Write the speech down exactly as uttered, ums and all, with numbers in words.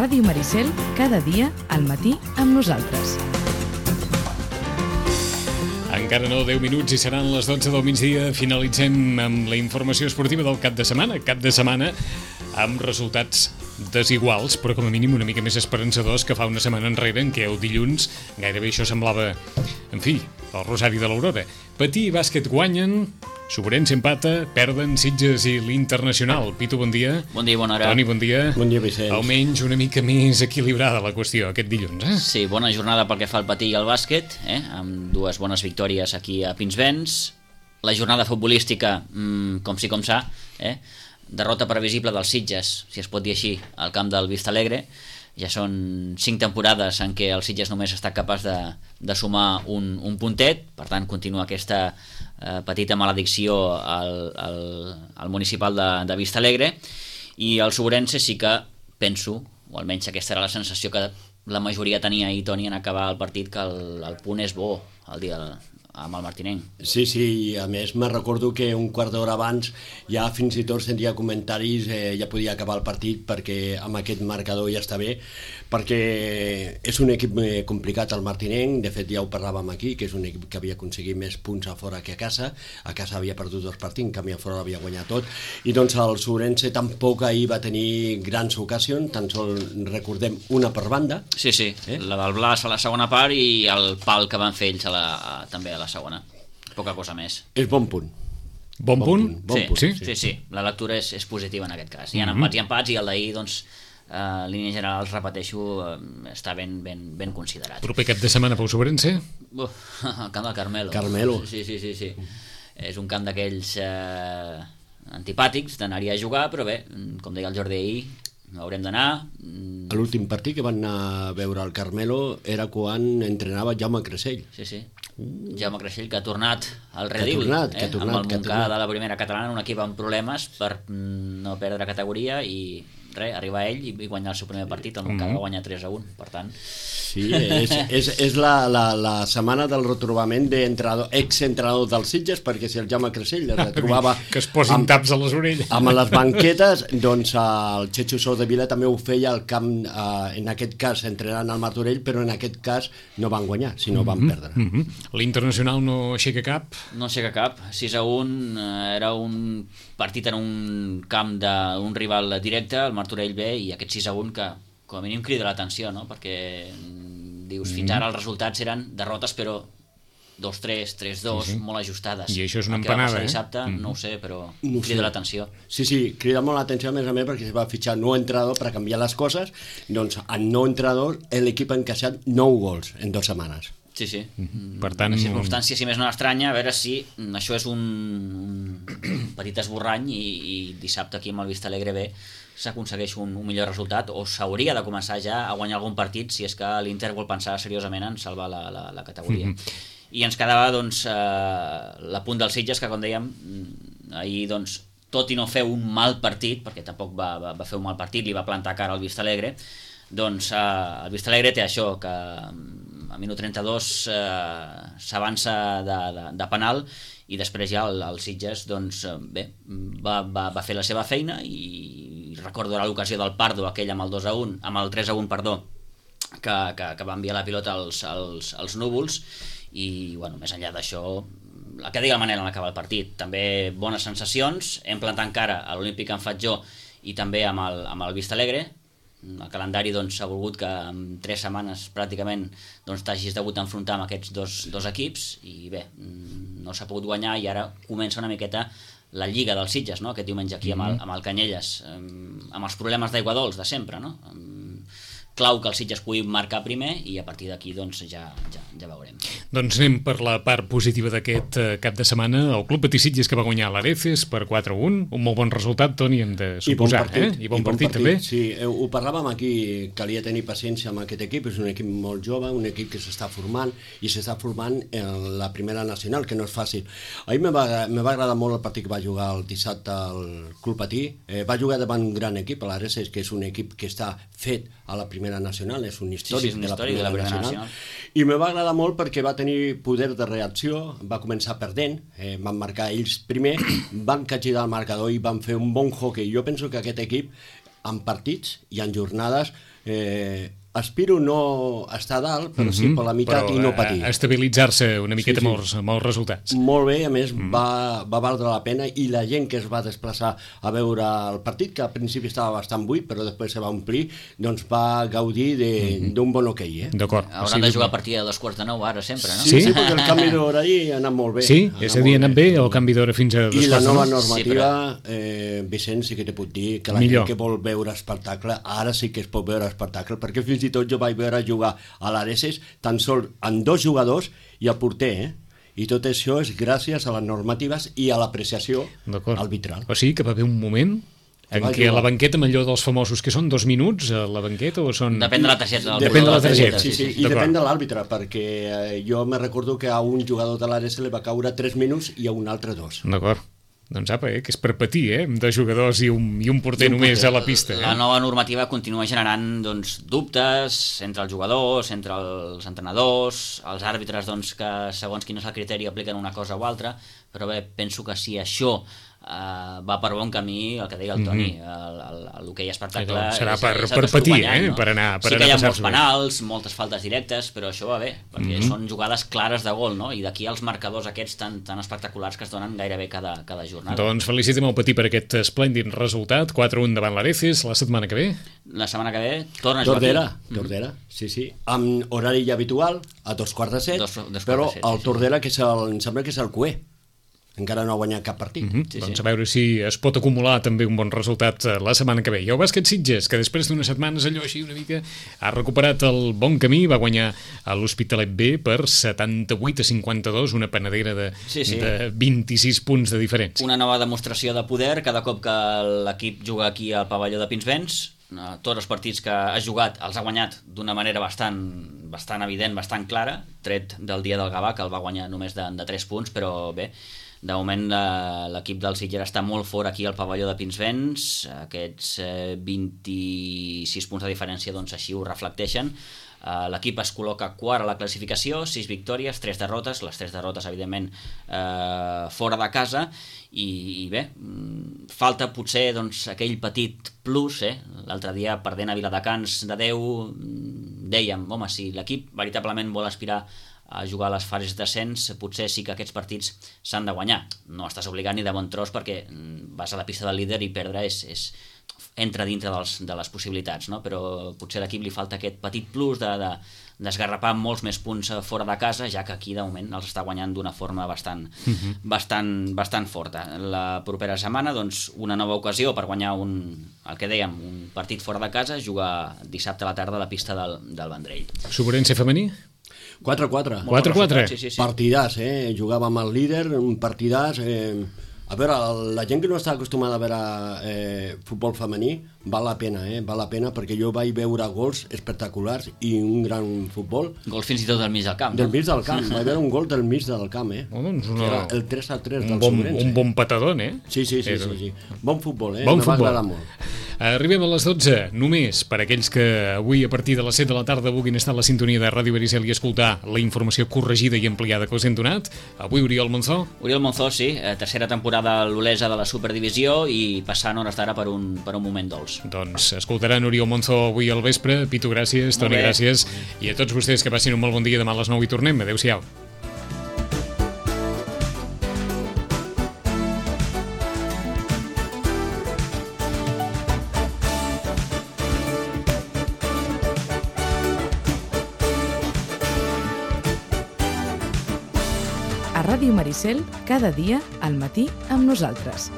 Ràdio Maricel, cada dia al matí amb nosaltres. Encara no, deu minuts i seran les dotze del migdia. Finalitzem amb la informació esportiva del cap de setmana. Cap de setmana amb resultats desiguals, però com a mínim una mica més esperançadors que fa una setmana enrere, en què el dilluns gairebé això semblava, en fi, el rosari de l'Aurora. Patí i bàsquet guanyen, Sobrense empata, perden Sitges i l'Internacional. Pitu, bon dia. Bon dia, bona hora. Toni, bon dia. Bon dia, Vicenç. Almenys una mica més equilibrada la qüestió aquest dilluns, eh? Sí, bona jornada pel que fa al patí i al bàsquet, eh? Amb dues bones victòries aquí a Pinsbens. La jornada futbolística, mmm, com sí com s'ha, eh? Derrota previsible dels Sitges, si es pot dir així, al camp del Vistalegre. Ja són cinc temporades en què el Sitges només ha estat capaç de, de sumar un, un puntet, per tant continua aquesta eh, petita maledicció al, al, al municipal de, de Vistalegre, i el Sobrense sí que penso, o almenys aquesta era la sensació que la majoria tenia ahir, Toni, en acabar el partit, que el, el punt és bo el dia amb el Martinenc. Sí, sí, i a més me recordo que un quart d'hora abans ja fins i tot sentia comentaris, eh, ja podia acabar el partit perquè amb aquest marcador ja està bé, perquè és un equip complicat el Martinenc. De fet ja ho parlàvem aquí, que és un equip que havia aconseguit més punts a fora que a casa. A casa havia perdut dos partits, en canvi a fora havia guanyat tot, i doncs el Sobrense tampoc ahir va tenir grans ocasions, tan sols recordem una per banda. Sí, sí, eh? La del Blas a la segona part i el pal que van fer ells a la, a, també a la segona, poca cosa més. És bon punt. Bon, bon punt? punt? Bon sí, punt. Sí? sí, sí, la lectura és, és positiva en aquest cas. Hi ha mm-hmm. empats i empats, i el d'ahir, doncs, eh, en línia general, repeteixo, eh, està ben, ben, ben considerat. Proper cap de setmana pel Sobrense? Uh, el camp del Carmelo. Carmelo. Sí, sí, sí, sí. És un camp d'aquells eh, antipàtics d'anar-hi a jugar, però bé, com deia el Jordi ahir, haurem d'anar. A l'últim partit que van anar a veure el Carmelo era quan entrenava Jaume Creixell. Sí, sí. Uh. Jaume Creixell, que ha tornat al Redil, que ha tornat, eh? que ha tornat, amb el Montcà de la primera catalana, un equip amb problemes per no perdre categoria, i res, arribar ell i guanyar el seu primer partit. El Montcà mm-hmm. va guanyar tres a un, per tant. Sí, és, és, és la, la, la setmana del retrobament d'ex-entrenador dels Sitges, perquè si el Jaume Creixell es retrobava que es posin amb, taps a les orelles amb les banquetes, doncs el Xecho Sou de Vila també ho feia al camp, eh, en aquest cas entrenant al Martorell, però en aquest cas no van guanyar, sinó van mm-hmm. perdre. Mm-hmm. L'Internacional no aixeca cap? No aixeca cap, sis a un, eh, era un partit en un camp d'un rival directe, el Martorell B, i aquest sis a un que com a mínim crida l'atenció, no? Perquè dius, fins ara els resultats eren derrotes, però dos tres, tres dos, sí, sí. molt ajustades. I això és una empanada, eh? Dissabte, mm. no ho sé, però no crida sé. l'atenció. Sí, sí, crida molt l'atenció, a més a més, perquè se va fitxar nou entrenador per canviar les coses. Doncs en nou entrenador l'equip ha encaixat nou gols en dues setmanes. Sí, sí. Mm-hmm. Per tant, una circumstància, si més no estranya, a veure si això és un, un petit esborrany i, i dissabte aquí amb el Vistalegre B s'aconsegueix un, un millor resultat, o s'hauria de començar ja a guanyar algun partit si és que l'Inter vol pensar seriosament en salvar la, la, la categoria. Mm-hmm. I ens quedava doncs eh, la punt dels Sitges, que com dèiem ahir, doncs, tot i no fer un mal partit, perquè tampoc va, va, va fer un mal partit, li va plantar cara al Vistalegre, doncs eh, el Vistalegre té això, que a minut trenta-dos eh, s'avança de, de, de penal, i després ja el, el Sitges doncs, bé, va, va, va fer la seva feina, i recordo l'ocasió del Pardo, aquell amb el dos a un, amb el tres a un, perdó, que, que, que va enviar la pilota als, als, als núvols, i bueno, més enllà d'això, la que digui la manera en acabar el partit, també bones sensacions, hem plantat cara a l'Olímpic en Fatjó i també amb el, amb el Vistalegre. El calendari doncs, ha volgut que en tres setmanes pràcticament doncs, t'hagis degut enfrontar amb aquests dos, dos equips, i bé, no s'ha pogut guanyar, i ara comença una miqueta la Lliga dels Sitges, no? Aquest diumenge aquí amb el, amb el Canyelles, amb els problemes d'aigua dolç de sempre, no? Clau que el Sitges pugui marcar primer, i a partir d'aquí doncs, ja, ja, ja veurem. Doncs anem per la part positiva d'aquest eh, cap de setmana. El Club Patí Sitges, que va guanyar l'Arefes per quatre a un, un molt bon resultat, Toni, hem de suposar. I bon partit, eh? I bon, I bon partit, partit també. Sí, ho parlàvem aquí, calia tenir paciència amb aquest equip. És un equip molt jove, un equip que s'està formant, i s'està formant en la primera nacional, que no és fàcil. Ahir me va, me va agradar molt el partit que va jugar el dissabte al Club Patí. Eh, va jugar davant un gran equip, l'Arefes, que és un equip que està fet a la primera nacional, és un històric, sí, sí, un de, la històric de la primera nacional. nacional. I me va agradar molt perquè va tenir poder de reacció, va començar perdent, eh, van marcar ells primer, van capgirar el marcador i van fer un bon hockey. Jo penso que aquest equip, en partits i en jornades, eh, aspiro no a estar a dalt, però sí Mhm, per la meitat però i no a- patir. a estabilitzar-se una miqueta Sí, sí. amb els- amb els resultats. Molt bé, a més mm. va, va valdre la pena, i la gent que es va desplaçar a veure el partit, que al principi estava bastant buit però després se va omplir, doncs va gaudir d'un mm -hmm. bon hoquei. Eh? D'acord. Hauran de jugar a partir de dos quarts de nou ara sempre, no? Sí, sí, sí, perquè el canvi d'horari ha anat molt bé. Sí? És a dir, ha anat bé el canvi d'hora fins a dos I la quarts de nova nou? normativa, eh, Vicent, sí que te puc dir que la Millor. gent que vol veure espectacle, ara sí que es pot veure espectacle, perquè fins i tot jo vaig veure jugar a l'Areses tan sol amb dos jugadors i el porter, eh? I tot això és gràcies a les normatives i a l'apreciació D'acord. arbitral. O sigui que va haver un moment en va què a jugar. la banqueta, amb allò dels famosos, que són dos minuts a la banqueta o són... Depèn de la targeta. del Depèn de la jugador. targeta. Sí, sí, i D'acord. depèn de l'àrbitre, perquè eh, jo me recordo que a un jugador de l'Ares li va caure tres minuts i a un altre dos. D'acord. Doncs apa, eh, que és per patir, eh? De jugadors i un, i un porter I un només porter. a la pista. La Eh? nova normativa continua generant doncs, dubtes entre els jugadors, entre els entrenadors, els àrbitres doncs, que segons quin és el criteri apliquen una cosa o altra, però bé, penso que si això Uh, va per bon camí, el que deia el Toni, mm -hmm. l'hoquei espectacle Serà és, per- és per el que estic patir, guanyant, eh? no? Per anar- per sí anar que hi ha a molts passar-s'ho bé. penals, moltes faltes directes, però això va bé, perquè mm -hmm. són jugades clares de gol, no? I d'aquí els marcadors aquests tan, tan espectaculars que es donen gairebé cada, cada jornada. Doncs felicitem el Patí per aquest esplèndid resultat, quatre a un davant l'Areces, la setmana que ve. La setmana que ve torna a jugar Tordera, aquí. Tordera, sí, sí, amb horari ja habitual, a dos quarts de set, Dos- dos quarts però de set, el sí, sí. Tordera, que és el, em sembla que és el cué, encara no ha guanyat cap partit. Mm -hmm. Sí, doncs sí. a veure si es pot acumular també un bon resultat eh, la setmana que ve. I el bàsquet Sitges, que després d'unes setmanes allò així una mica ha recuperat el bon camí, va guanyar a l'Hospitalet B per setanta-vuit a cinquanta-dos, una panadera de, Sí, sí. de vint-i-sis punts de diferència. Una nova demostració de poder cada cop que l'equip juga aquí al pavelló de Pinsbens. Eh, tots els partits que ha jugat els ha guanyat d'una manera bastant, bastant evident, bastant clara, tret del dia del Gavà, que el va guanyar només de, de tres punts, però bé, de moment eh, l'equip del Sitges està molt fort aquí al pavelló de Pinsbens, aquests eh, vint-i-sis punts de diferència doncs així ho reflecteixen. Uh, l'equip es col·loca quart a la classificació, sis victòries, tres derrotes, les tres derrotes evidentment uh, fora de casa, i, i bé, mm, falta potser doncs, aquell petit plus, eh? L'altre dia perdent a Viladecans de deu, mm, dèiem, home, si l'equip veritablement vol aspirar a jugar a les fases d'ascens, potser sí que aquests partits s'han de guanyar. No estàs obligat ni de bon tros perquè mm, vas a la pista del líder i perdre és, és entra dintre dels, de les possibilitats, no? Però potser a l'equip li falta aquest petit plus de, de, d'esgarrapar molts més punts fora de casa, ja que aquí de moment els està guanyant d'una forma bastant, uh-huh. bastant, bastant forta. La propera setmana, doncs, una nova ocasió per guanyar un, el que dèiem, un partit fora de casa, jugar dissabte a la tarda a la pista del, del Vendrell. Sobrerence femení? quatre a quatre. quatre a quatre. Sí, sí, sí. Partidàs, eh? Jugava amb el líder, un partidàs... Eh... A veure, la gent que no està acostumada a veure eh, futbol femení, val la pena, eh? Val la pena, perquè jo vaig veure gols espectaculars i un gran futbol. Gols fins i tot del mig del camp, Del no? mig del camp, vaig veure un gol del mig del camp, eh? Oh, doncs una... Que era el tres a tres un del bon, Sobrense. un bon patadón, eh? Sí, sí, sí, Eh, sí, sí. Bon futbol, eh? Bon Me va futbol. agradar molt. Arribem a les dotze, només per aquells que avui a partir de les set de la tarda vulguin estar a la sintonia de Ràdio Vericel i escoltar la informació corregida i ampliada que us hem donat. Avui Oriol Monzó. Oriol Monzó, sí, eh, tercera temporada a l'Olesa de la Superdivisió i passant hores d'ara per un, per un moment dolç. Doncs escoltaran Oriol Monzó avui al vespre. Pitu, gràcies. Toni, bé. gràcies. I a tots vostès que passin un molt bon dia. Demà a les nou hi tornem. Adéu-siau. A Ràdio Maricel, cada dia al matí amb nosaltres.